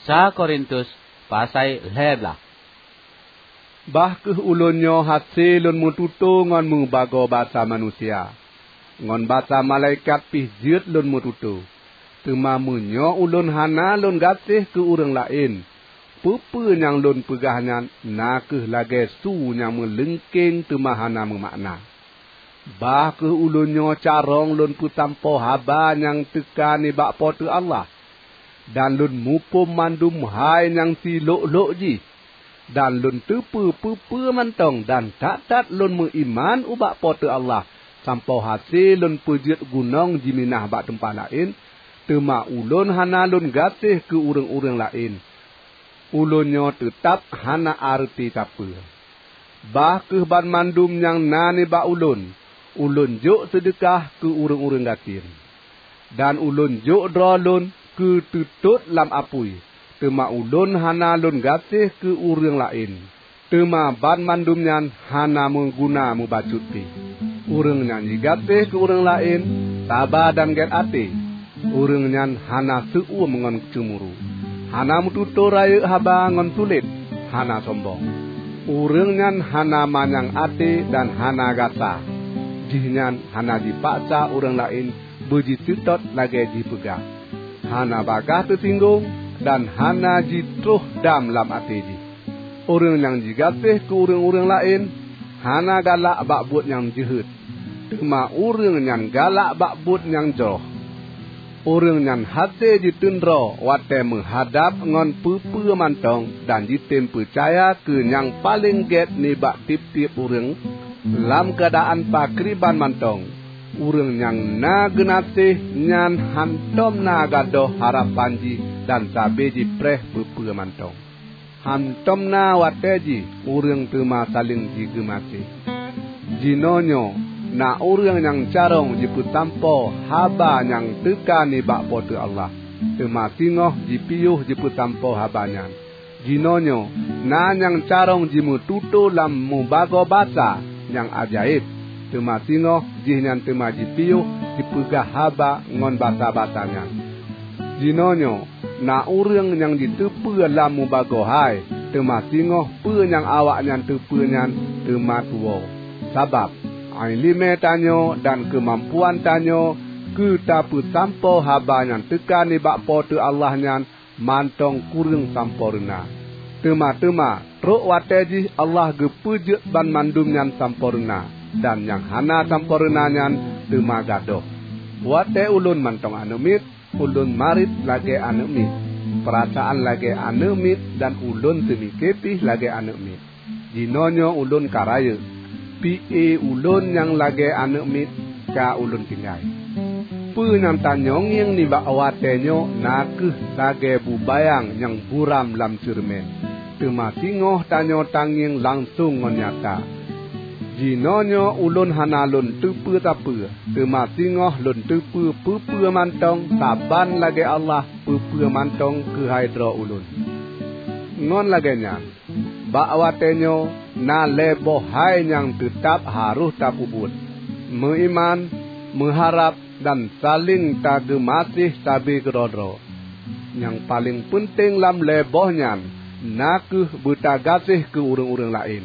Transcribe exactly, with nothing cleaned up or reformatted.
Sa Korintus pasai lhée blaih. Bah kheueh ulôn nyoe hase lôn meututoe ngon meubagoe basa manusia, ngon basa malaikat pih jeuet lôn meututoe. Teuma meunyoe ulôn hana lôn gaséh keu ureuëng laén, peue-peue nyang lôn peugah nyan na kheueh lagée su nyang meuleungkeng teuma hana meumakna. Bah kheueh ulôn nyoe carông lôn peusampoe haba nyang teuka nibak Po teu Allah, dan lôn muphom mandum hai nyang silhok-lhok jih, dan lôn teupeue peue-peue mantong dan that-that lôn meuiman ubak Po teu Allah, sampoe hase lôn peujeuet gunong jiminah bak teumpat laén, teuma ulôn hana lôn gaséh keu ureuëng-ureuëng laén. Ulôn nyoe teutab hana areuti sapeue. Bah kheueh banmandum nyang na nibak ulôn, ulôn jok seudeukah keu ureuëng-ureuëng gasien. Dan ulôn jok droe lôn keu teutot lam apui, teuma ulôn hana lôn gaséh keu ureuëng laén. Teuma banmandum nyan hana meuguna mubacut pih. Ureuëng nyang jigaséh keu ureuëng laén, saba dan gét até. Ureuëng nyan hana seu-uem ngon ceumuru, hana meututoe rayeuk haba ngon sulet, hana sombong. Ureuëng nyan hana manyang até dan hana gata. Jihnyan hana jipaksa ureuëng laén beujiteutot lagée jipeugah, hana bagaih teusinggong dan hana jitroh dam lam até jih. Ureuëng nyang jigaséh keu ureuëng-ureuëng laén hana galak bak buet nyang jeuhet, teuma ureuëng nyan galak bak buet nyang jroh. Ureuëng nyan hase jiteundroe watée meuhadab ngon peue-peue mantong dan jitem peucaya keu nyang paleng gét nibak tieb-tieb ureuëng. Lam keuadaan pakriban mantong, ureuëng nyang na geunaséh nyan hántom na gadôh harapan jih dan sabe jipreh peue-peue mantong. Hántom na watée jih ureuëng teuma saléng jigeumaséh. Jinoenyoe na ureuëng nyang carông jipeusampoe haba nyang teuka nibak Po teu Allah, teuma singoh jipiôh jipeusampoe haba nyan. Jinoenyoe na nyang carông jimeututoe lam mubagoe basa nyang ajaéb, teuma singoh jihnyan teuma jipiôh jipeugah haba ngon basa-basa nyan. Jinoenyoe na ureuëng nyang jiteupeue lam mubagoe hai, teuma singoh peue nyang awaknyan teupeue nyan teuma tuwoe. Sabab, iéleumé tanyoe dan keumampuan tanyoe keu tapeusampoe haba nyang teuka nibak Po teu Allah nyan mantong kureueng sampoereuna. Teuma-teuma, trok watée jih Allah geupeujeuet banmandum nyan sampoereuna, dan nyang hana sampoereuna nyan teuma gadôh. Watée ulôn mantong aneuëk miet, ulôn marit lagée aneuëk miet, peurasaan lagée aneuëk miet dan ulôn teumike pih lagée aneuëk miet. Jinoenyoe ulôn ka rayeuk, pi-e ulôn nyang lagée aneuëk miet ka ulôn tinggai. Peue nyang tanyongieng nibak watée nyoe na kheueh lagée bubayang nyang buram lam ceureumen, teuma singoh tanyoe tangieng langsong ngon nyata. Jinoenyoe ulôn hana lôn teupeue sapeue, teuma singoh lôn teupeue peue-peue mantong saban lagée Allah peue-peue mantong keuhai droe ulôn. Ngon lagée nyan, bak watée nyoe na lhée boh hai nyang teutab harôh tapeubuet: meuiman, meuharab, dan saléng tageumaséh sabe keudroe-droe. Nyang paleng peunteng lam lhée boh nyan na kheueh beutagaséh keu ureuëng-ureuëng laén.